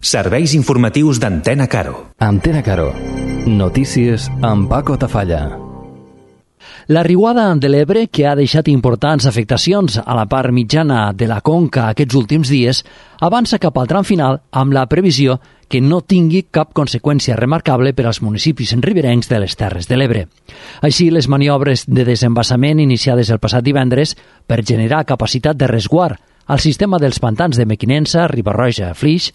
Serveis informatius d'Antena Caro. Antena Caro. Notícies amb Paco Tafalla. La riuada de l'Ebre, que ha deixat importants afectacions a la part mitjana de la conca aquests últims dies, avança cap al tram final amb la previsió que no tingui cap conseqüència remarcable per als municipis riberencs de les Terres de l'Ebre. Així, les maniobres de desembassament iniciades el passat divendres per generar capacitat de resguard al sistema dels pantans de Mequinensa, Riba-roja, Flix,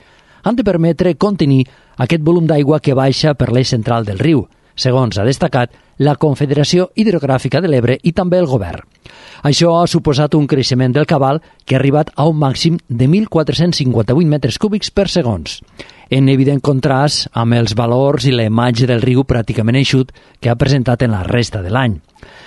han de permetre contenir aquest volum d'aigua que baixa per l'eix central del riu, segons ha destacat la Confederació Hidrogràfica de l'Ebre i també el govern. Això ha suposat un creixement del cabal que ha arribat a un màxim de 1.458 metres cúbics per segons, en evident contrast amb els valors i la imatge del riu pràcticament eixut que ha presentat en la resta de l'any.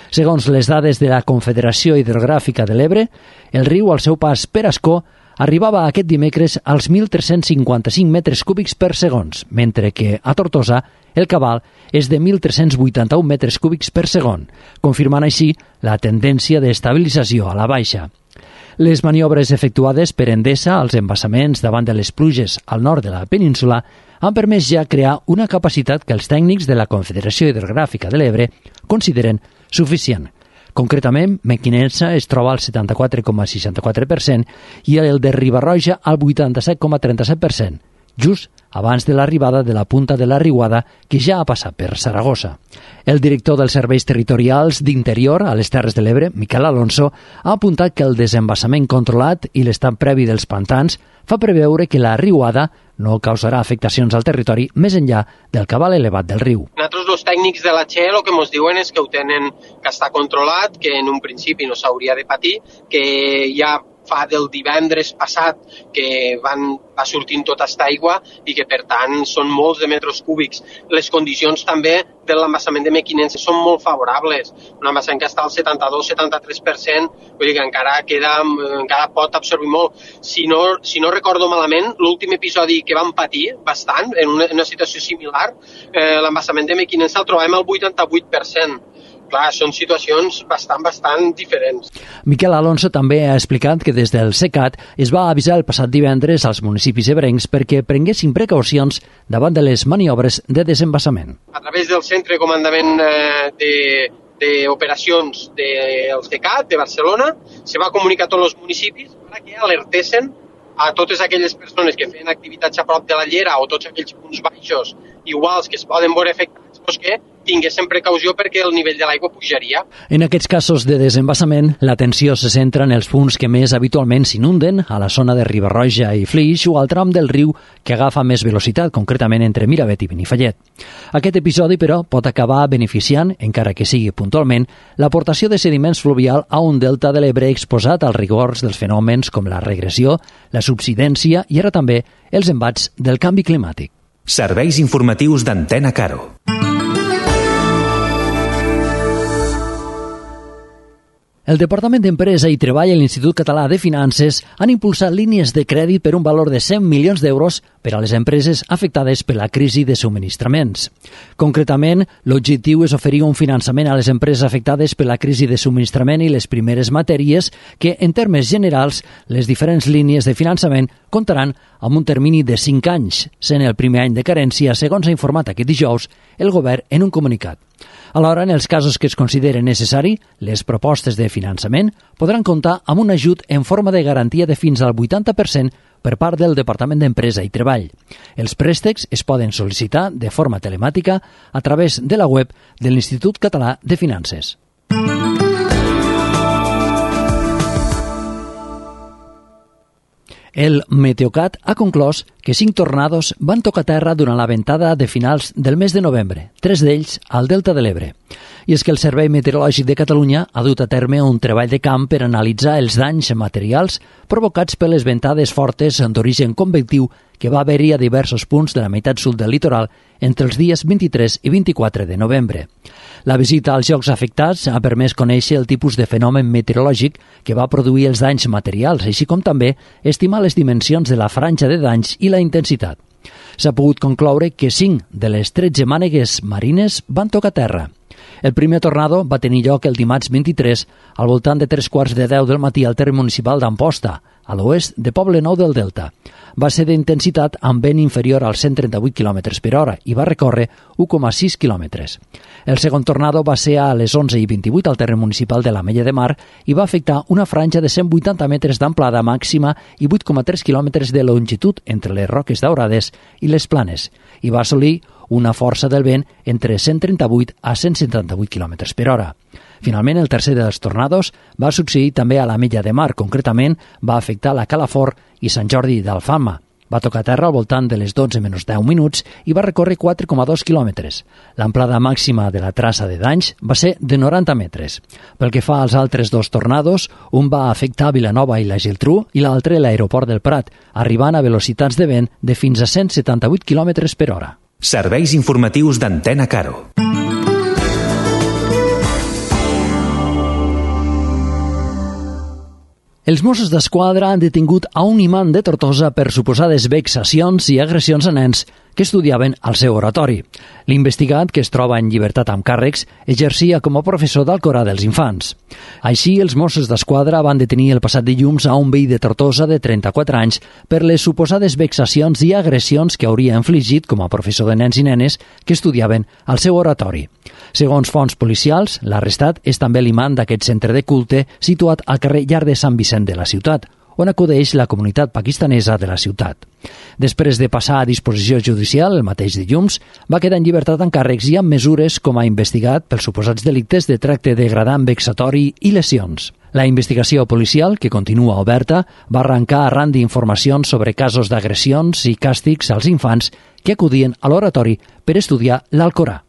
Segons les dades de la Confederació Hidrogràfica de l'Ebre, el riu al seu pas per Ascó arribava aquest dimecres als 1.355 metres cúbics per segons, mentre que a Tortosa el cabal és de 1.381 metres cúbics per segon, confirmant així la tendència d'estabilització a la baixa. Les maniobres efectuades per Endesa als embassaments davant de les pluges al nord de la península han permès ja crear una capacitat que els tècnics de la Confederació Hidrogràfica de l'Ebre consideren suficient. Concretament, Mequinensa es troba al 74,64% i el de Riba-roja al 87,37%, just abans de l'arribada de la punta de la riuada que ja ha passat per Saragossa. El director dels Serveis Territorials d'Interior a les Terres de l'Ebre, Miquel Alonso, ha apuntat que el desembassament controlat i l'estat previ dels pantans fa preveure que la riuada no causarà afectacions al territori més enllà del cabal elevat del riu. Nosaltres, els tècnics de la Che, el que ens diuen és que ho tenen, que està controlat, que en un principi no s'hauria de patir, que ja fa del divendres passat que va sortint tota aquesta aigua i que, per tant, són molts de metres cúbics. Les condicions també de l'embassament de Mequinensa són molt favorables. Un embassament que està al 72-73%, vull dir que encara pot absorbir molt. Si no recordo malament, l'últim episodi que vam patir bastant, en una situació similar, l'embassament de Mequinensa el trobem al 88%. Clar, són situacions bastant diferents. Miquel Alonso també ha explicat que des del SECAT es va avisar el passat divendres als municipis ebrencs perquè prenguessin precaucions davant de les maniobres de desembassament. A través del Centre de Comandament d'Operacions del SECAT de Barcelona se va comunicar a tots els municipis perquè alertessin a totes aquelles persones que feien activitats a prop de la llera o tots aquells punts baixos iguals que es poden veure afectats, doncs que tinguessin precaució perquè el nivell de l'aigua pujaria. En aquests casos de desembassament, l'atenció se centra en els punts que més habitualment s'inunden, a la zona de Riba-roja i Flix o al tram del riu que agafa més velocitat, concretament entre Miravet i Benifallet. Aquest episodi, però, pot acabar beneficiant, encara que sigui puntualment, l'aportació de sediments fluvial a un delta de l'Ebre exposat als rigors dels fenòmens com la regressió, la subsidència i ara també els embats del canvi climàtic. Serveis informatius d'Antena Caro. El Departament d'Empresa i Treball i l'Institut Català de Finances han impulsat línies de crèdit per un valor de 100 milions d'euros per a les empreses afectades per la crisi de subministraments. Concretament, l'objectiu és oferir un finançament a les empreses afectades per la crisi de subministrament i les primeres matèries que, en termes generals, les diferents línies de finançament comptaran amb un termini de 5 anys, sent el primer any de carència, segons ha informat aquest dijous el govern en un comunicat. Alhora, en els casos que es consideri necessari, les propostes de finançament podran comptar amb un ajut en forma de garantia de fins al 80% per part del Departament d'Empresa i Treball. Els préstecs es poden sol·licitar de forma telemàtica a través de la web de l'Institut Català de Finances. El Meteocat ha conclòs que 5 tornados van tocar terra durant la ventada de finals del mes de novembre, 3 d'ells al Delta de l'Ebre. I és que el Servei Meteorològic de Catalunya ha dut a terme un treball de camp per analitzar els danys materials provocats per les ventades fortes d'origen convectiu que va haver-hi a diversos punts de la meitat sud del litoral entre els dies 23 i 24 de novembre. La visita als llocs afectats ha permès conèixer el tipus de fenomen meteorològic que va produir els danys materials, així com també estimar les dimensions de la franja de danys i la intensitat. S'ha pogut concloure que 5 de les 13 mànegues marines van tocar terra. El primer tornado va tenir lloc el dimarts 23 al voltant de 3:15 del matí al terme municipal d'Amposta, a l'oest de Poblenou del Delta. va ser d'intensitat amb vent inferior als 138 km per hora i va recórrer 1,6 km. El segon tornado va ser a les 11:28 al terreny municipal de l'Ametlla de Mar i va afectar una franja de 180 metres d'amplada màxima i 8,3 quilòmetres de longitud entre les Roques Daurades i les Planes i va assolir una força del vent entre 138 a 178 km per hora. Finalment, el tercer dels tornados va succeir també a l'Ametlla de Mar. Concretament, va afectar la Calafort i Sant Jordi d'Alfama. Va tocar terra al voltant de les 12 menys 10 minuts i va recórrer 4,2 quilòmetres. L'amplada màxima de la traça de danys va ser de 90 metres. Pel que fa als altres dos tornados, un va afectar Vilanova i la Geltrú i l'altre l'aeroport del Prat, arribant a velocitats de vent de fins a 178 km per hora. Serveis informatius d'Antena Caro. Els Mossos d'Esquadra han detingut a un imant de Tortosa per suposades vexacions i agressions a nens que estudiaven al seu oratori. L'investigat, que es troba en llibertat amb càrrecs, exercia com a professor d'Alcorà dels infants. Així, els Mossos d'Esquadra van detenir el passat dilluns a un veí de Tortosa de 34 anys per les suposades vexacions i agressions que hauria infligit com a professor de nens i nenes que estudiaven al seu oratori. Segons fonts policials, l'arrestat és també l'imant d'aquest centre de culte situat al carrer Llar de Sant Vicent de la ciutat, on acudeix la comunitat pakistanesa de la ciutat. Després de passar a disposició judicial el mateix dilluns, va quedar en llibertat amb càrrecs i amb mesures com a investigat pels suposats delictes de tracte degradant, vexatori i lesions. La investigació policial, que continua oberta, va arrencar arran d'informacions sobre casos d'agressions i càstigs als infants que acudien a l'oratori per estudiar l'Alcorà.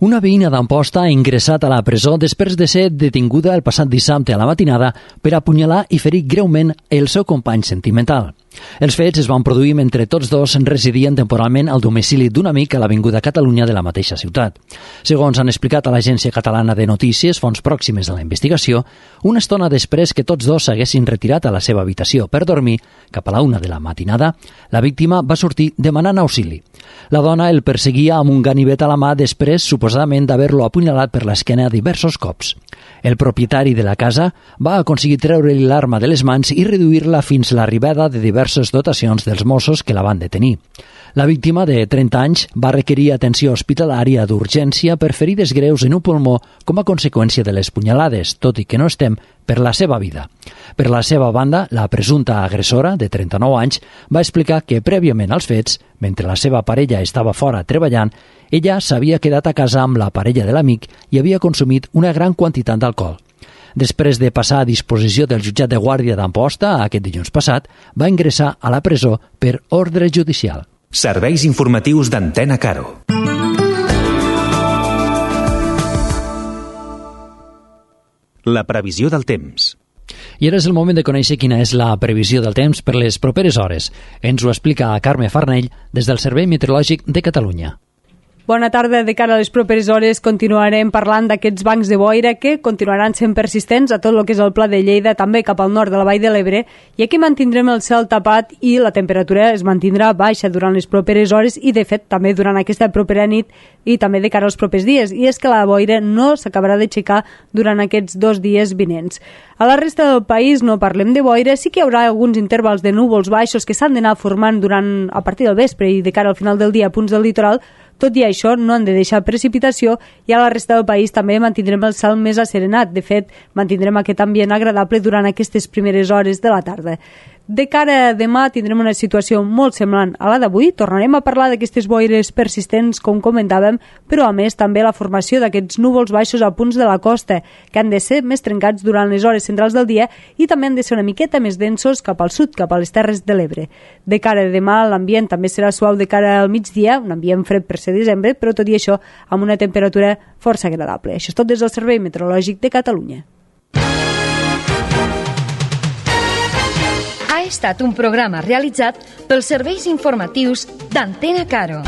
Una veïna d'Amposta ha ingressat a la presó després de ser detinguda el passat dissabte a la matinada per apunyalar i ferir greument el seu company sentimental. Els fets es van produir mentre tots dos residien temporalment al domicili d'un amic a l'Avinguda Catalunya de la mateixa ciutat. Segons han explicat a l'Agència Catalana de Notícies, fonts pròximes a la investigació, una estona després que tots dos s'haguessin retirat a la seva habitació per dormir, cap a la 1 de la matinada, la víctima va sortir demanant auxili. La dona el perseguia amb un ganivet a la mà després, suposadament, d'haver-lo apunyalat per l'esquena diversos cops. El propietari de la casa va aconseguir treure-li l'arma de les mans i reduir-la fins a l'arribada de diverses dotacions dels Mossos que la van detenir. La víctima, de 30 anys, va requerir atenció hospitalària d'urgència per ferides greus en un pulmó com a conseqüència de les punyalades, tot i que no estem per la seva vida. Per la seva banda, la presumpta agressora, de 39 anys, va explicar que prèviament als fets, mentre la seva parella estava fora treballant, ella s'havia quedat a casa amb la parella de l'amic i havia consumit una gran quantitat d'alcohol. Després de passar a disposició del jutjat de guàrdia d'Amposta aquest dilluns passat, va ingressar a la presó per ordre judicial. Serveis informatius d'Antena Caro. La previsió del temps. I ara és el moment de conèixer quina és la previsió del temps per les properes hores. Ens ho explica Carme Farnell des del Servei Meteorològic de Catalunya. Bona tarda. De cara a les properes hores continuarem parlant d'aquests bancs de boira que continuaran sent persistents a tot el que és el Pla de Lleida, també cap al nord de la Vall de l'Ebre, i aquí mantindrem el cel tapat i la temperatura es mantindrà baixa durant les properes hores i, de fet, també durant aquesta propera nit i també de cara als propers dies. I és que la boira no s'acabarà d'aixecar durant aquests 2 dies vinents. A la resta del país no parlem de boira, sí que hi haurà alguns intervals de núvols baixos que s'han d'anar formant a partir del vespre i de cara al final del dia a punts del litoral. Tot i això, no han de deixar precipitació i a la resta del país també mantindrem el cel més asserenat. De fet, mantindrem aquest ambient agradable durant aquestes primeres hores de la tarda. De cara a demà tindrem una situació molt semblant a la d'avui. Tornarem a parlar d'aquestes boires persistents, com comentàvem, però a més també la formació d'aquests núvols baixos a punts de la costa, que han de ser més trencats durant les hores centrals del dia i també han de ser una miqueta més densos cap al sud, cap a les Terres de l'Ebre. De cara a demà l'ambient també serà suau de cara al migdia, un ambient fred per ser desembre, però tot i això amb una temperatura força agradable. Això és tot des del Servei Meteorològic de Catalunya. Ha estat un programa realitzat pels serveis informatius d'Antena Caro.